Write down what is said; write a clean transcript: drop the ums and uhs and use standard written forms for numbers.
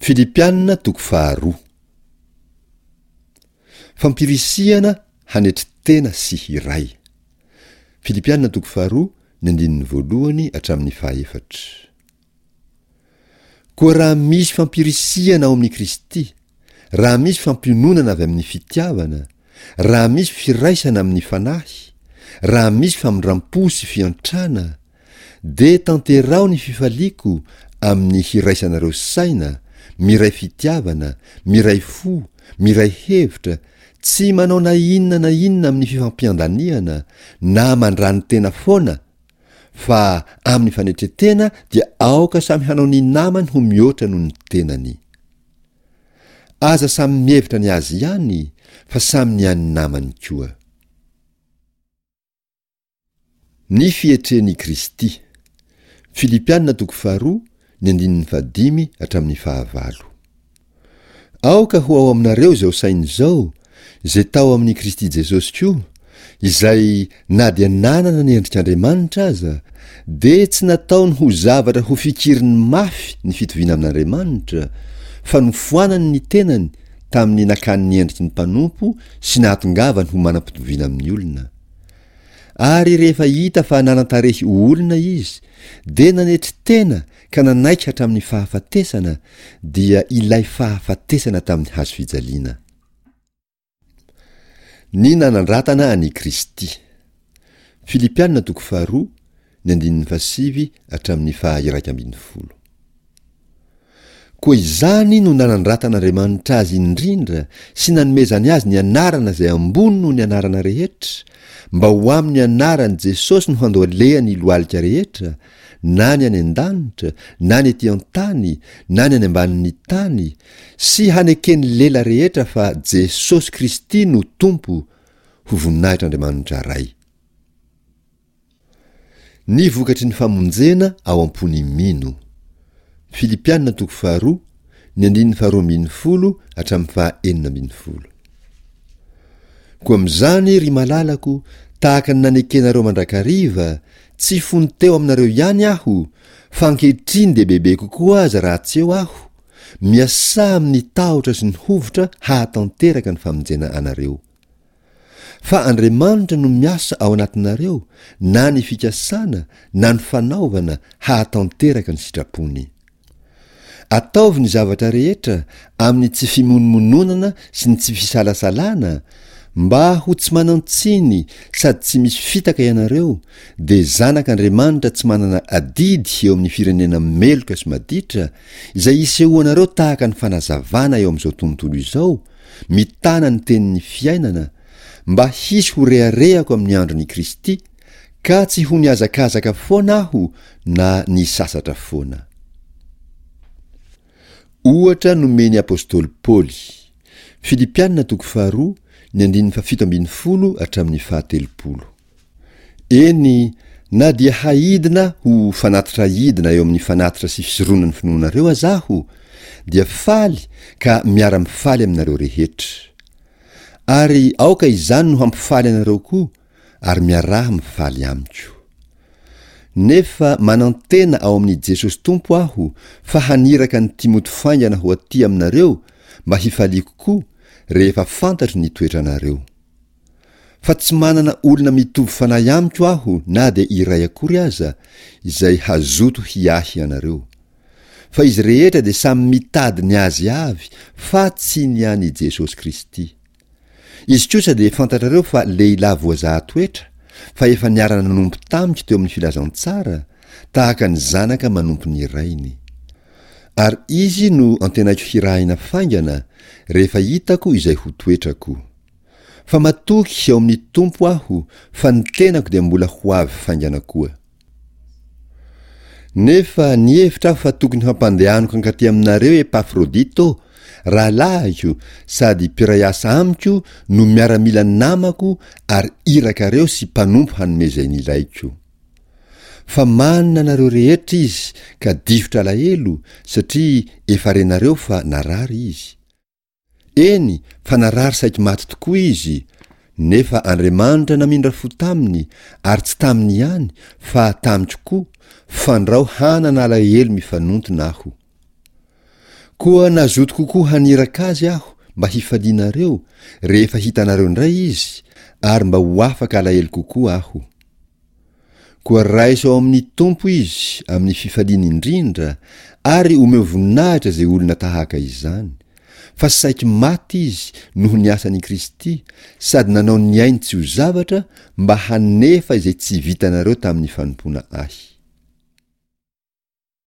Filipiana toko faharoa. Fampirisihana hanetry tena sy hiray. Filipiana toko faharoa ny andininy voalohany hatramin'ny fahaefatra. Koa raha misy fampirisihana ao amin'i Kristy, raha misy fampiononana avy amin'ny fitiavana, raha misy firaisana amin'ny Fanahy, raha misy famindram-po sy fiantrana, dia tanteraho ny fifaliako amin'ny hiraisanareo saina, miray fitiavana, miray fo, miray hevitra, tsy manao na inona na inona amin'ny fifampiandaniana, na mandrani-tena foana, fa amin'ny fanetren-tena dia aoka samy hanao ny namany ho mihoatra noho ny tenany. Aza samy mihevitra ny azy ihany, fa samy ny an'ny namany koa. Ny fietren'i Kristy. Filipiana toko faharoa, ny andininy fahadimy hatramin'ny fahavalo. Aoka ho ao aminareo izao saina izao, izay tao amin'i Kristy Jesosy koa, izay na dia nanana ny endrik'Andriamanitra aza, dia tsy nataony ho zavatra ho fikiriny mafy ny fitoviana amin'Andriamanitra, fa nofoanany ny tenany tamin'ny nakany ny endriky ny mpanompo sy nahatongavany ho manam-pitoviana amin'ny olona. Ary rehefa hita fa nanan-tarehy ho olona izy, dia nanetry tena ka nanaiky hatramin'ny fahafatesana, dia ilay fahafatesana tamin'ny hazo fijaliana. Ny nanandratana an'i Kristy. Filipiana toko faharoa, ny andininy fahasivy hatramin'ny faha-iraika ambin'ny folo. Koa izany no nanandratan'Andriamanitra azy indrindra sy nanomezany azy ny anarana izay ambony noho ny anarana rehetra, mba ho amin'ny anaran'i Jesosy no handohalehany ny lohalika rehetra, na ny any an-danitra, na ny ety an-tany, na ny any ambanin'ny tany, sy haneken'ny lela rehetra fa Jesosy Kristy no Tompo, ho voninahitr'Andriamanitra Ray. Ny vokatry ny famonjena ao am-pon'ny mino. Filipiana toko faharoa, ny andininy faharoa ambin'ny folo hatramin'ny faha-enina ambin'ny folo. Koa amin'izany, ry malalako, tahaka ny nanekenareo mandrakariva, tsy fony teo aminareo ihany aho, fa ankehitriny dia bebe kokoa aza raha tsy eo aho, miasà amin'ny tahotra sy ny hovitra hahatanteraka ny famonjena anareo. Fa Andriamanitra no miasa ao anatinareo na ny fikasana na ny fanaovana hahatanteraka ny sitrapony. Ataovy ny zavatra rehetra amin'ny tsy fimonomononana sy ny tsy fisalasalana, mba ho tsy manan-tsiny sady tsy misy fitaka ianareo, dia zanak' Andriamanitra tsy manana adidy eo amin'ny firenena meloka sy maditra, izay isehoanareo tahaka ny fanazavana eo amin'izao tontolo izao, mitana ny tenin'ny fiainana, mba hisy ho reharehako amin'ny andron'i Kristy, ka tsy ho nihazakazaka foana aho na nisasatra foana. Ohatra nomen'ny apostoly Paoly. Filipiana toko faharoa, ny andininy fahafito ambin'ny folo hatramin'ny fahatelopolo. Eny, na dia haidina ho fanatitra aidina eo amin'ny fanatitra sy fisoronan'ny finoanareo aza aho, dia faly ka miara-mifaly aminareo rehetra. Ary aoka izany no hampifaly anareo koa, ary miaraha mifaly amiko. Nefa manantena ao amin'i Jesosy Tompo aho fa haniraka an'i Timoty faingana ho aty aminareo mba hifaliako koa rehefa fantatro ny toetranareo. Fa tsy manana olona mitovy fanahy amiko aho na dia iray akory aza izay hazoto hiahy anareo. Fa izy rehetra dia samy mitady ny azy avy fa tsy ny an'i Jesosy Kristy. Izy kosa dia fantatrareo fa lehilahy voazaha toetra, fa efa niara-nanompo tamiko teo amin'ny filazantsara, tahaka ny zanaka manompo ny rainy. Ary izy no antenaiko hirahina faingana, rehefa hitako izay ho toetrako. Fa matoky ao amin'ny Tompo aho fa ny tenako dia mbola ho avy faingana koa. Nefa nihevitra aho fa tokony hampandehaniko hankaty aminareo Epafrodito, rahalahiko sady mpiray asa amiko no miaramila namako ary irakareo sy mpanompo hanome izay nilaiko. Fa manina anareo rehetra izy ka difotra alahelo satria efa renareo fa narary izy. Eny, fa narary saiky maty tokoa izy, nefa Andriamanitra namindra fo taminy, ary tsy taminy ihany, fa tamiko koa, fandrao hanana alahelo mifanontona aho. Koa nazoto kokoa haniraka azy aho mba hifalianareo rehefa hitanareo indray izy, ary mba ho afaka alahelo kokoa aho. Koa raiso ao amin'ny Tompo izy amin'ny fifaliana indrindra ary omeo voninahitra izay olona tahaka izany, fa saiky maty izy noho ny asan'i Kristy sady nanao ny ainy tsy ho zavatra mba hanefa izay tsy vitanareo tamin'ny fanompoana ahy.